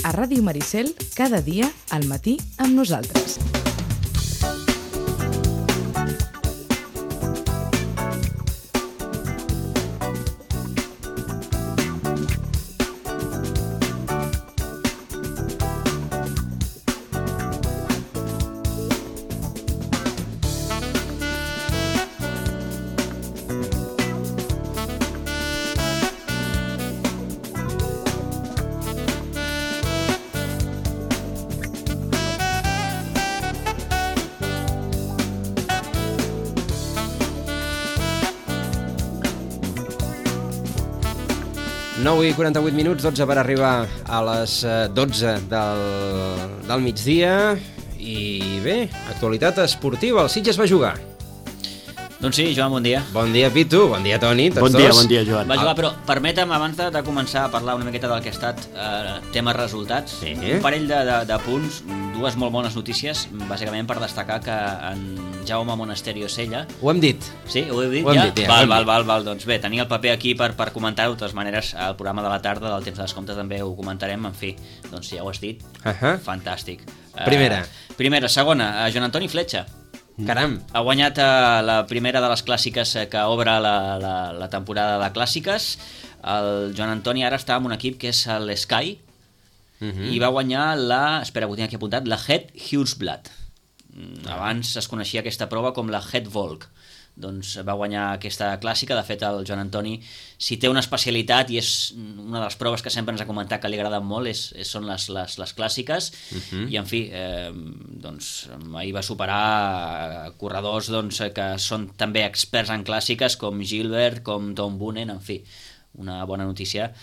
a Ràdio Maricel, cada dia al matí amb nosaltres. I 48 minuts, 12 per arribar a les 12 del migdia. I bé, actualitat esportiva, el Sitges va jugar. Doncs sí, Joan, bon dia. Bon dia, Pitu, bon dia, Toni, tots bon dos. Bon dia, Joan. Va jugar, però permetem, abans de començar a parlar una miqueta del que ha estat tema resultats, sí. Un parell de punts, dues molt bones notícies, bàsicament per destacar que en Jaume Monasterio Sella... Ho hem dit. Sí, ho heu dit ho ja? Dit, ja? Val. Doncs bé, tenia el paper aquí per comentar-ho. De totes maneres, al programa de la tarda del Temps de Descompte també ho comentarem. En fi, doncs si ja ho has dit, fantàstic. Primera, segona, Joan Antoni Fletxa. Caram. Ha guanyat la primera de les clàssiques que obre la temporada de clàssiques. El Joan Antoni ara està en un equip que és l'Sky i va guanyar espera, ho tinc aquí apuntat, la Het Hughesblad. Abans es coneixia aquesta prova com la Het Volk. Doncs va guanyar aquesta clàssica. De fet, el Joan Antoni, si té una especialitat, i és una de les proves que sempre ens ha comentat que li agrada molt, són les clàssiques. I en fi, doncs ahir va superar corredors que són també experts en clàssiques, com Gilbert, com Tom Boonen. En fi, una bona notícia,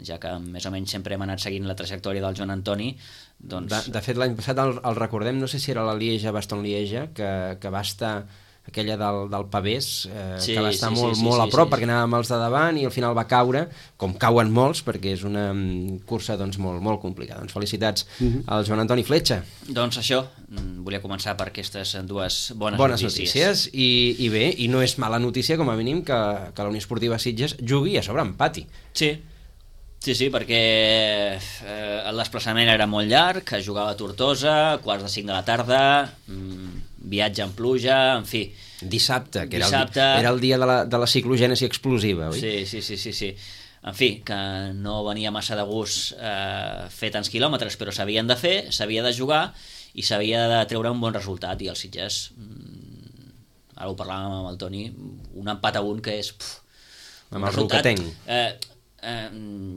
ja que més o menys sempre hem anat seguint la trajectòria del Joan Antoni. Doncs... De fet, l'any passat el recordem, no sé si era la Lieja-Bastogne-Lieja, que va estar... aquella del Pavés, que va estar molt a prop, perquè anàvem els de davant i al final va caure, com cauen molts, perquè és una cursa doncs, molt complicada. Doncs felicitats al Joan Antoni Fletxa. Doncs això, volia començar per aquestes dues bones notícies. I bé, i no és mala notícia com a mínim que la Unió Esportiva Sitges jugui a sobre empati. Sí, perquè el desplaçament era molt llarg, es jugava a Tortosa, 4:45 de la tarda, viatge en pluja, en fi. Dissabte, que era el dia de la ciclogènesi explosiva, oi? Sí. En fi, que no venia massa de gust fer tants quilòmetres, però s'havien de fer, s'havia de jugar i s'havia de treure un bon resultat. I el Sitges, ara ho parlàvem amb el Toni, un empat a un que és... amb el roquetenc.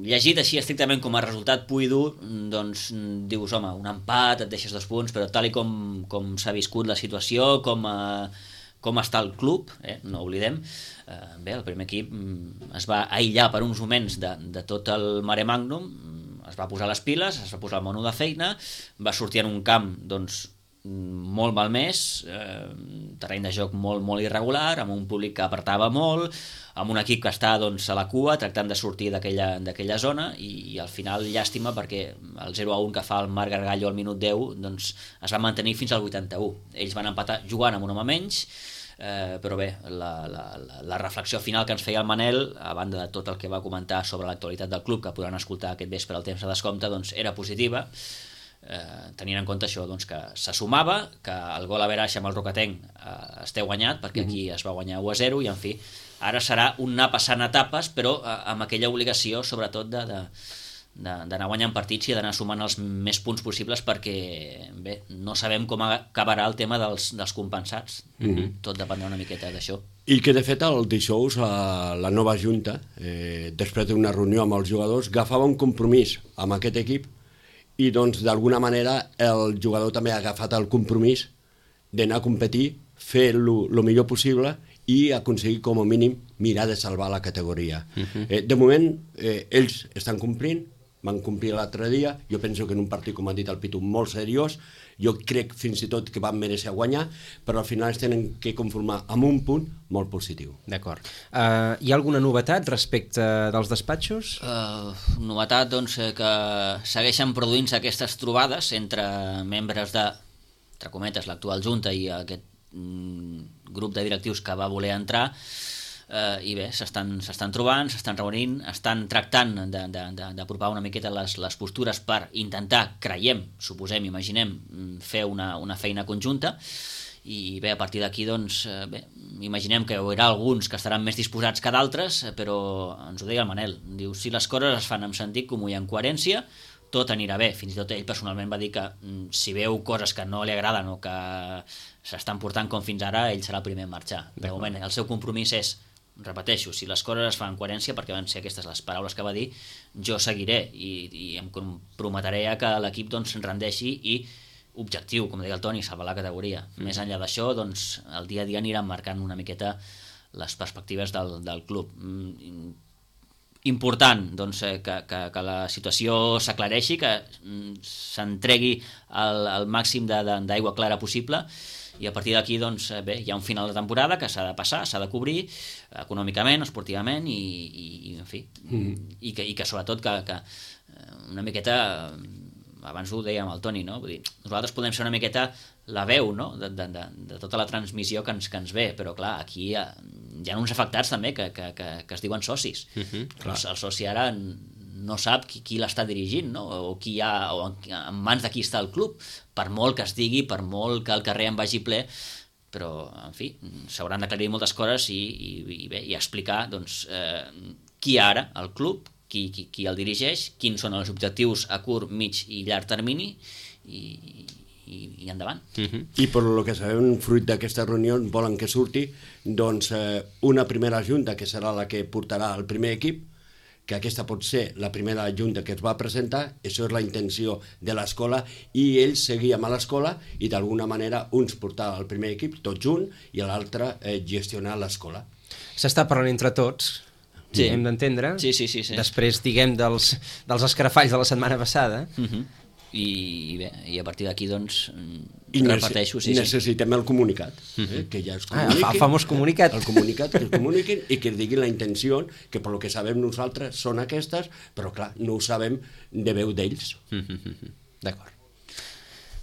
Llegit així estrictament com a resultat pur i dur, doncs dius, home, un empat, et deixes 2 punts, però tal i com s'ha viscut la situació, com està el club, no oblidem, bé, el primer equip es va aïllar per uns moments de tot el mare magnum, es va posar les piles, es va posar el mono de feina, va sortir en un camp, doncs, molt malmès, terreny de joc molt irregular, amb un públic que apartava molt, amb un equip que està doncs, a la cua tractant de sortir d'aquella zona i al final llàstima perquè el 0-1 que fa el Marc Gargallo al minut 10 doncs, es va mantenir fins al 81. Ells van empatar jugant amb un home menys, però bé, la reflexió final que ens feia el Manel, a banda de tot el que va comentar sobre l'actualitat del club, que podran escoltar aquest vespre al Temps de Descompte, doncs era positiva, tenint en compte això, doncs, que se sumava, que el gol a veraix amb el Roquetenc es té guanyat, perquè aquí es va guanyar 1-0, i en fi, ara serà un anar passant etapes, però amb aquella obligació, sobretot, d'anar guanyant partits i d'anar sumant els més punts possibles, perquè, bé, no sabem com acabarà el tema dels compensats. Tot dependrà una miqueta d'això. I que, de fet, el dijous la nova junta, després d'una reunió amb els jugadors, agafava un compromís amb aquest equip i, doncs, d'alguna manera, el jugador també ha agafat el compromís d'anar a competir, fer el millor possible i aconseguir, com a mínim, mirar de salvar la categoria. De moment, ells estan complint, van complir l'altre dia, jo penso que en un partit, com ha dit el Pitu, molt seriós, jo crec fins i tot que van mereixer guanyar, però al final es tenen que conformar amb un punt molt positiu. D'acord. Hi ha alguna novetat respecte dels despatxos? Novetat, doncs, que segueixen produint-se aquestes trobades entre membres de, entre cometes, l'actual Junta i aquest grup de directius que va voler entrar. i bé, s'estan trobant, s'estan reunint, estan tractant d'apropar una miqueta les postures per intentar, creiem, suposem, imaginem, fer una feina conjunta. I bé, a partir d'aquí, doncs, imaginem que hi haurà alguns que estaran més disposats que d'altres, però ens ho deia el Manel, diu, si les coses es fan amb sentit comú i en coherència, tot anirà bé. Fins i tot ell personalment va dir que si veu coses que no li agraden o que s'estan portant com fins ara, ell serà el primer a marxar. De moment, el seu compromís és, repeteixo, si les coses es fan en coherència, perquè van ser aquestes les paraules que va dir, jo seguiré i em comprometré a que l'equip doncs rendeixi i objectiu, com deia el Toni, salvar la categoria. Més enllà d'això, doncs, el dia a dia aniran marcant una miqueta les perspectives del club. Important doncs, que la situació s'aclareixi, que s'entregui el màxim d'aigua clara possible, i a partir d'aquí doncs, bé, hi ha un final de temporada que s'ha de passar, s'ha de cobrir econòmicament, esportivament i en fi, i que sobretot que una miqueta, abans ho dèiem al Toni, no? Vull dir, nosaltres podem ser una miqueta la veu, no? de tota la transmissió que ens ve, però clar, aquí hi ha uns afectats també que es diuen socis. El soci ara no sap qui l'està dirigint, no? O qui hi ha, o en mans de qui està el club, per molt que es digui, per molt que el carrer en vagi ple, però en fi, s'hauran d'aclarir moltes coses i explicar doncs, qui ara el club, qui el dirigeix, quins són els objectius a curt, mig i llarg termini i endavant. I per lo que sabem, fruit d'aquesta reunió, volen que surti doncs, una primera junta que serà la que portarà el primer equip, que aquesta pot ser la primera junta que es va presentar, això és la intenció de l'escola, i ells seguíem a l'escola i d'alguna manera uns portar el primer equip tot junt i l'altre gestionar l'escola. S'està parlant entre tots, sí, hem d'entendre. Sí. Després, diguem, dels escarafalls de la setmana passada. I bé, i a partir d'aquí, doncs, repeteixo. Necessitem el comunicat, que ja es comuniqui. El famós comunicat. El comunicat, que es comuniquin i que diguin la intenció, que per lo que sabem nosaltres són aquestes, però clar, no ho sabem de veu d'ells. D'acord.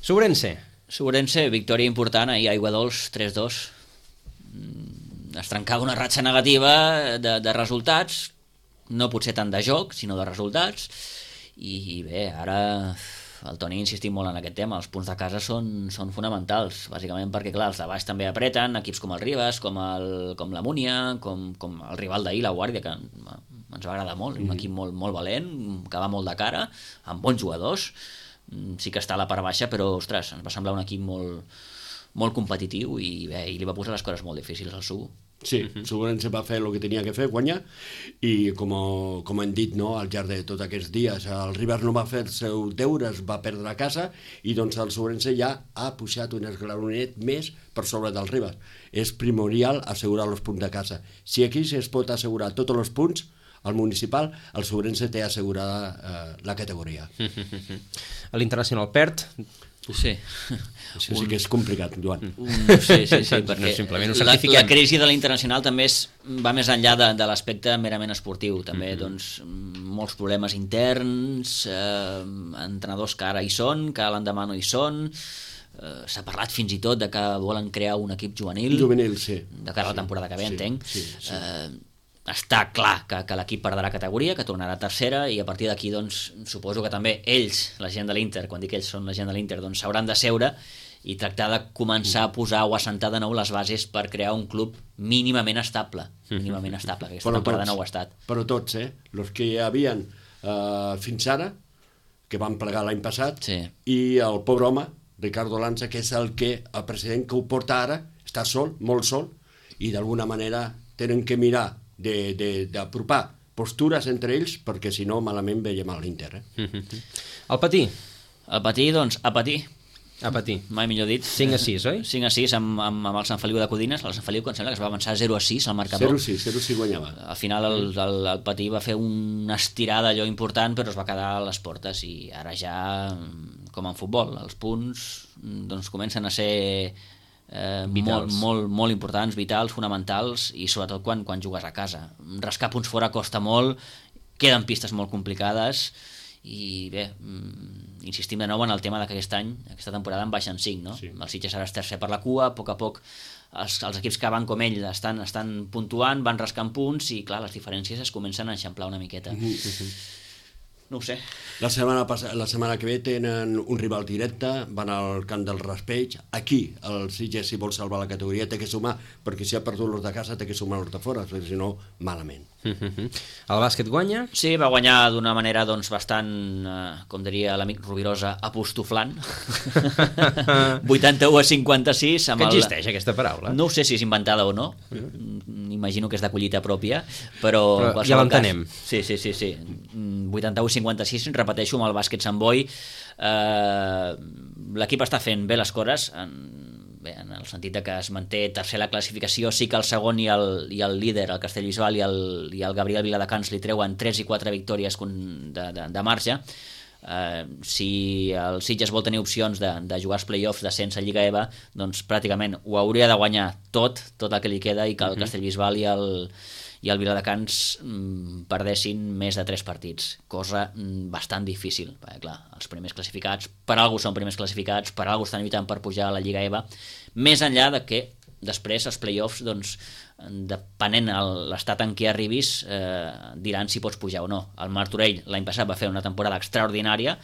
Sobrense, victòria important, ahir Aigua Dols, 3-2. Es trencava una ratxa negativa de resultats, no potser tant de joc, sinó de resultats, i bé, ara el Toni ha insistit molt en aquest tema, els punts de casa són fonamentals, bàsicament perquè clar, els de baix també apreten, equips com el Ribes, com la Múnia, com el rival d'ahir, la Guàrdia, que ens va agradar molt, un equip molt valent, que va molt de cara, amb bons jugadors, sí que està a la part baixa, però ostres, ens va semblar un equip molt competitiu i bé, i li va posar les coses molt difícils al Subo. Sí, Sobrense va fer el que tenia que fer, guanyar, i com hem dit, no, al llarg de tots aquests dies, el Ribas no va fer els seus deures, va perdre a casa, i doncs el Sobrense ja ha pujat un esglaonet més per sobre del Ribas. És primordial assegurar els punts de casa. Si aquí es pot assegurar tots els punts, al municipal, el Sobrense té assegurada la categoria. L'Internacional perd. Sí. Això sí que és complicat, Joan. Sí, perquè la crisi de l'Internacional també va més enllà de l'aspecte merament esportiu, també doncs, molts problemes interns, entrenadors que ara hi són, que l'endemà no hi són, s'ha parlat fins i tot de que volen crear un equip juvenil, sí. De cara a la temporada que ve, entenc. Està clar que l'equip perdrà categoria, que tornarà a tercera, i a partir d'aquí doncs, suposo que també ells, la gent de l'Inter, quan dic ells són la gent de l'Inter, doncs s'hauran de seure i tractar de començar a posar o a assentar de nou les bases per crear un club mínimament estable, que aquesta temporada no ho ha estat. Però tots, els que hi havia fins ara, que van plegar l'any passat, sí. I el pobre home, Ricardo Lanza, que és el president que ho porta ara, està sol, molt sol, i d'alguna manera tenen que mirar d'apropar postures entre ells, perquè si no malament veiem a l'Inter. El Patí? El Patí, doncs, a patir. A patir. Mai millor dit. 5-6, oi? 5-6 amb el Sant Feliu de Codines. El Sant Feliu, que em sembla que es va avançar 0-6 al marcador. 0-6 guanyava. Al final el Patí va fer una estirada allò important, però es va quedar a les portes, i ara ja, com en futbol, els punts doncs, comencen a ser molt importants, vitals, fonamentals, i sobretot quan jugues a casa. Rascar punts fora costa molt, queden pistes molt complicades, i bé, insistim de nou en el tema que aquest any, aquesta temporada en baixen 5, no? Sí. El Sitges ara és tercer per la cua, a poc els equips que van com ell estan puntuant, van rascant punts i clar, les diferències es comencen a eixamplar una miqueta. No ho sé. La setmana que ve tenen un rival directe, van al camp del Raspeig. Aquí, el Sitges, si vol salvar la categoria, té que sumar, perquè si ha perdut l'hort de casa, té que sumar l'hort de fora, perquè si no, malament. El bàsquet guanya? Sí, va guanyar d'una manera doncs, bastant, com diria l'amic Rovirosa, apostoflant. 81-56. Que existeix aquesta paraula? No sé si és inventada o no, imagino que és de collita pròpia, però ja l'entenem. Sí. 81-56, repeteixo, amb el bàsquet Sant Boi. L'equip està fent bé les coses, en el sentit que es manté tercer la classificació. Sí que el segon i el líder, el Castellbisbal i el Gabriel Viladecans, li treuen 3 i 4 victòries de marge. Si el Sitges vol tenir opcions de jugar als play-offs d'ascens a Lliga EVA, doncs pràcticament ho hauria de guanyar tot el que li queda, i que el Castellbisbal i el Viladecans perdessin més de 3 partits, cosa bastant difícil, perquè clar, els primers classificats per algú són primers classificats, per algú estan lluitant per pujar a la Lliga EVA, més enllà de que després els play-offs, doncs, depenent de l'estat en què arribis, diran si pots pujar o no. El Martorell l'any passat va fer una temporada extraordinària,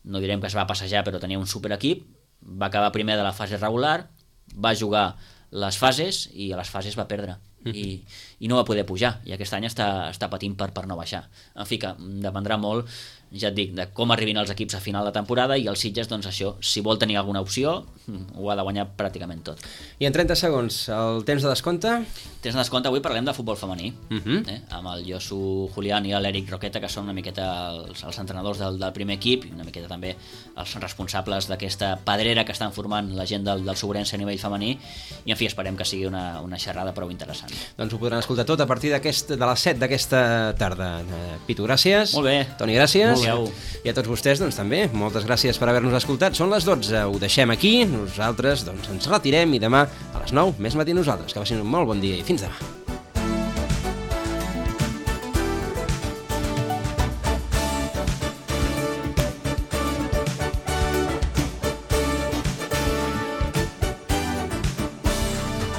no direm que es va passejar, però tenia un superequip, va acabar primer de la fase regular, va jugar les fases i a les fases va perdre i no va poder pujar, i aquest any està patint per no baixar. En fi, que dependrà molt, ja et dic, de com arribin els equips a final de temporada, i el Sitges, doncs això, si vol tenir alguna opció, ho ha de guanyar pràcticament tot. I en 30 segons, el temps de descompte? Temps de descompte, avui parlem de futbol femení, amb el Josu Julián i l'Eric Roqueta, que són una miqueta els entrenadors del primer equip, i una miqueta també els responsables d'aquesta pedrera que estan formant la gent del Sobrense a nivell femení, i en fi, esperem que sigui una xerrada prou interessant. Doncs ho podran escoltar tot a partir de les 7 d'aquesta tarda. Pitu, gràcies. Molt bé. Toni, gràcies. I a tots vostès, doncs també, moltes gràcies per haver-nos escoltat. Són les 12, ho deixem aquí, nosaltres doncs ens retirem, i demà a les 9 més matí nosaltres. Que passin un molt bon dia i fins demà.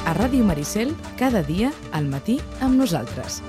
A Ràdio Maricel, cada dia al matí amb nosaltres.